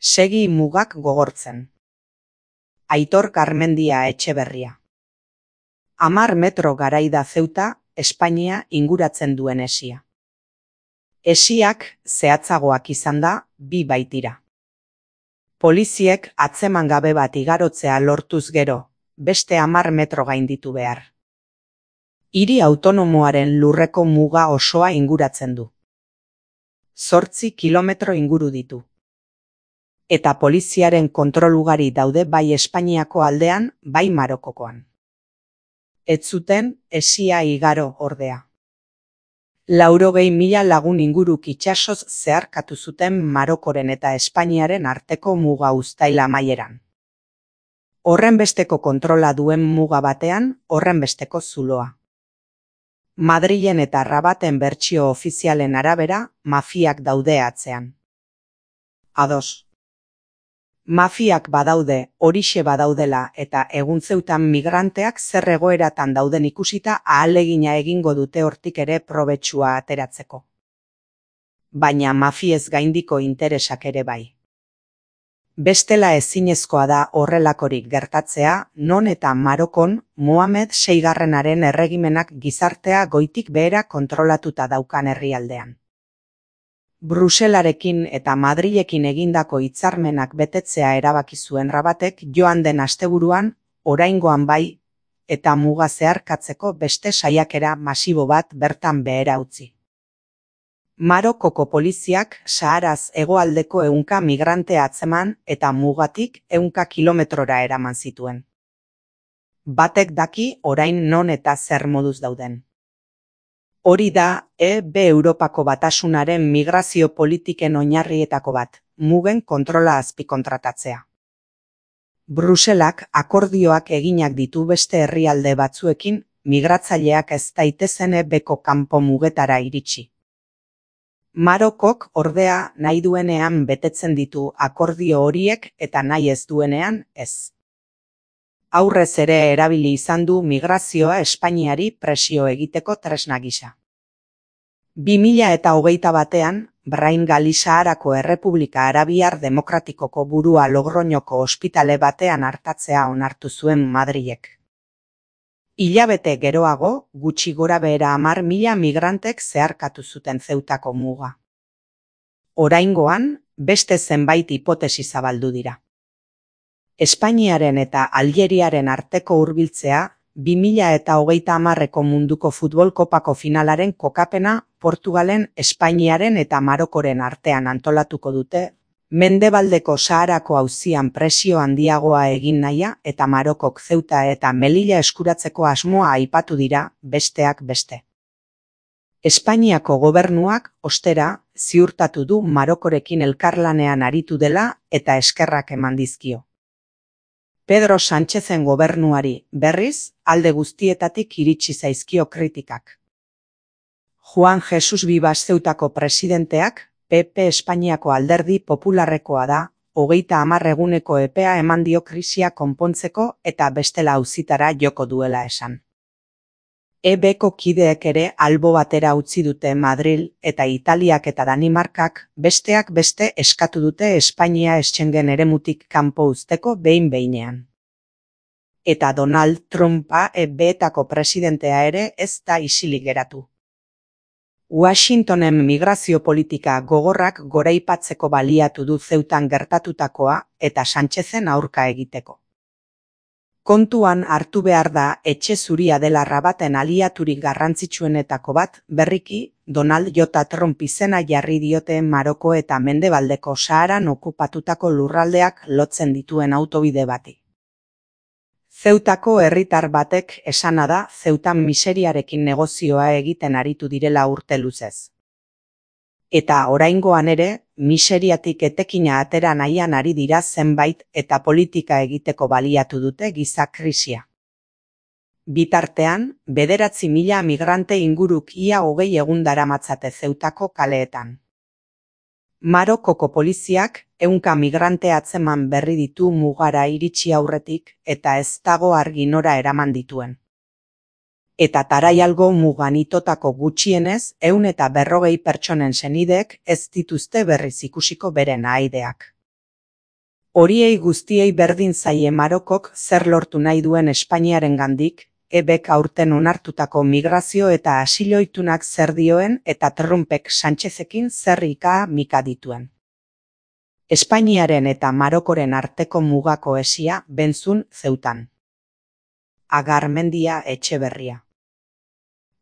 Segi mugak gogortzen. Aitor Garmendia Etxeberria. 10 metro garaida Zeuta, Espainia inguratzen duen hesia. Hesiak zehatzagoak izan da, 2 baitira. Poliziek atzeman gabe bat igarotzea lortuz gero, beste 10 metro gainditu behar. Hiri autonomoaren lurreko muga osoa inguratzen du. 8 kilometro inguru ditu. Eta poliziaren kontrol ugari daude bai Espainiako aldean, bai Marokokoan. Ez zuten hesia igaro ordea. 80.000 lagun inguruk itsasoz zeharkatu zuten Marokoren eta Espainiaren arteko muga uztail amaieran. Horrenbesteko kontrola duen muga batean, horrenbesteko zuloa. Madrilen eta Rabaten bertsio ofizialen arabera, mafiak daude atzean. Ados. Mafiak badaude, horixe badaudela eta egun Zeutan migranteak zer egoeratan dauden ikusita ahalegina egingo dute hortik ere probetxua ateratzeko. Baina mafiez gaindiko interesak ere bai. Bestela ezinezkoa da horrelakorik gertatzea, non eta Marokon Mohamed VIgarrenaren erregimenak gizartea goitik behera kontrolatuta daukan herrialdean. Bruselarekin eta Madrilekin egindako hitzarmenak betetzea erabaki zuen Rabatek joan den asteburuan, oraingoan bai, eta muga zeharkatzeko beste saiakera masibo bat bertan behera utzi. Marokoko poliziak Saharaz hegoaldeko 100 migrante atzeman eta mugatik 100 kilometrora eraman zituen. Batek daki orain non eta zer moduz dauden. Hori da EB Europako Batasunaren migrazio politiken oinarrietako bat, mugen kontrola azpikontratatzea. Bruselak akordioak eginak ditu beste herrialde batzuekin, migratzaileak ez daitezen EBko kanpo mugetara iritsi. Marokok ordea nahi duenean betetzen ditu akordio horiek eta nahi ez duenean ez. Aurrez ere erabili izan du migrazioa Espainiari presio egiteko tresna gisa. 2021 Brain Gali Saharako Errepublika Arabiar Demokratikoko burua Logroñoko ospitale batean artatzea onartu zuen Madrilek. Hilabete geroago, gutxi gorabehera 10.000 migrantek zeharkatu zuten Zeutako muga. Oraingoan, beste zenbait hipotesi zabaldu dira. Espainiaren eta Aljeriaren arteko hurbiltzea, 2030ko munduko futbol kopako finalaren kokapena Portugalen, Espainiaren eta Marokoren artean antolatuko dute, Mendebaldeko Saharako auzian presio handiagoa egin nahia eta Marokok Zeuta eta Melilla eskuratzeko asmoa aipatu dira, besteak beste. Espainiako gobernuak, ostera, ziurtatu du Marokorekin elkarlanean aritu dela eta eskerrak eman dizkio. Pedro Sánchezen gobernuari, berriz, alde guztietatik iritsi zaizkio kritikak. Juan Jesus Vivas Zeutako presidenteak, PP Espainiako alderdi popularrekoa da, 30 eguneko epea eman dio krisia konpontzeko eta bestela auzitara joko duela esan. EBko kideek ere albo batera utzi dute Madril eta Italiak eta Danimarkak besteak beste eskatu dute Espainia Schengen eremutik kanpo uzteko behin-behinean. Eta Donald Trumpa EBetako presidentea ere ez da isilik geratu. Washingtonen migrazio politika gogorrak goraipatzeko baliatu du Zeutan gertatutakoa eta Sánchezen aurka egiteko. Kontuan hartu behar da etxe zuria dela Rabaten aliaturik garrantzitsuenetako bat, berriki, Donald J. Trump izena jarri diote Maroko eta Mendebaldeko Saharan okupatutako lurraldeak lotzen dituen autobide bati. Zeutako herritar batek esana da Zeutan miseriarekin negozioa egiten aritu direla urte luzez. Eta oraingoan ere, miseriatik etekina atera nahian ari dira zenbait eta politika egiteko baliatu dute giza krisia. Bitartean, 9.000 migrante inguruk ia 20 egun daramatzate Zeutako kaleetan. Marokoko poliziak 100 migrante atzeman berri ditu mugara iritsi aurretik eta ez dago argi nora eraman dituen. Eta Taraialgo mugan itotako gutxienez 140 pertsonen senideek ez dituzte berriz ikusiko beren ahaideak. Horiei guztiei berdin zaie Marokok zer lortu nahi duen Espainiarengandik, ebek aurten onartutako migrazio eta asiloitunak zer dioen eta Trumpek Sánchezekin zer ika-mika dituen. Espainiaren eta Marokoren arteko mugako hesia Benzun Zeutan. Agarmendia Etxeberria.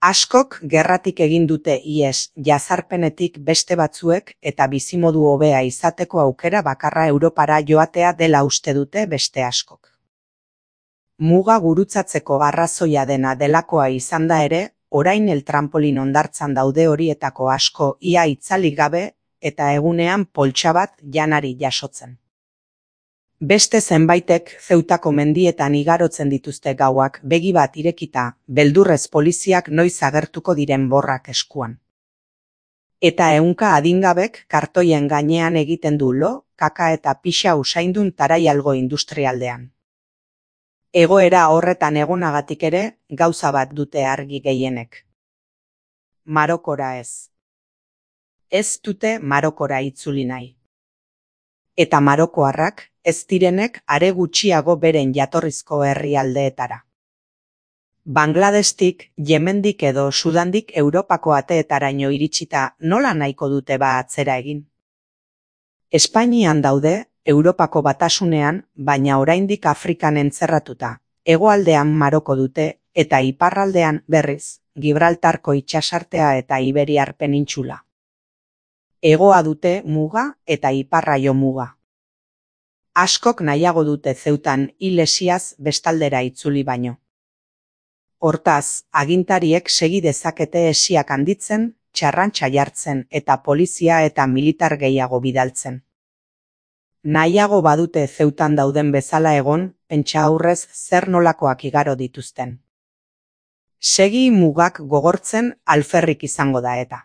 Askok gerratik egin dute ihes jazarpenetik beste batzuek eta bizimodu hobea izateko aukera bakarra Europara joatea dela uste dute beste askok. Muga gurutzatzeko arrazoia dena delakoa izan da ere, orain trampolin hondartzan daude horietako asko ia itzalik gabe eta egunean poltsa bat janari jasotzen. Beste zenbaitek Zeutako mendietan igarotzen dituzte gauak begi bat irekita, beldurrez poliziak noiz agertuko diren borrak eskuan. Eta ehunka adingabek kartoien gainean egiten du lo, kaka eta pixa usaindun taraialgo industrialdean. Egoera horretan egonagatik ere, gauza bat dute argi gehienek. Marokora ez. Ez dute Marokora itzuli nahi. Eta marokoarrak ez direnek are gutxiago beren jatorrizko herrialdeetara. Bangladestik, Yemendik edo Sudandik Europako ateetaraino iritsita nola nahiko dute atzera egin? Espainian daude, Europako batasunean, baina oraindik Afrikan entzerratuta, hegoaldean Maroko dute eta iparraldean berriz, Gibraltarko itsasartea eta Iberiar penintxula. Hegoa dute muga eta iparraio muga. Askok nahiago dute Zeutan hil hesiaz bestaldera itzuli baino. Hortaz, agintariek segi dezakete hesiak handitzen, txarrantxa jartzen eta polizia eta militar gehiago bidaltzen. Nahiago badute Zeutan dauden bezala egon, pentsa aurrez zer nolakoak igaro dituzten. Segi mugak gogortzen alferrik izango da eta.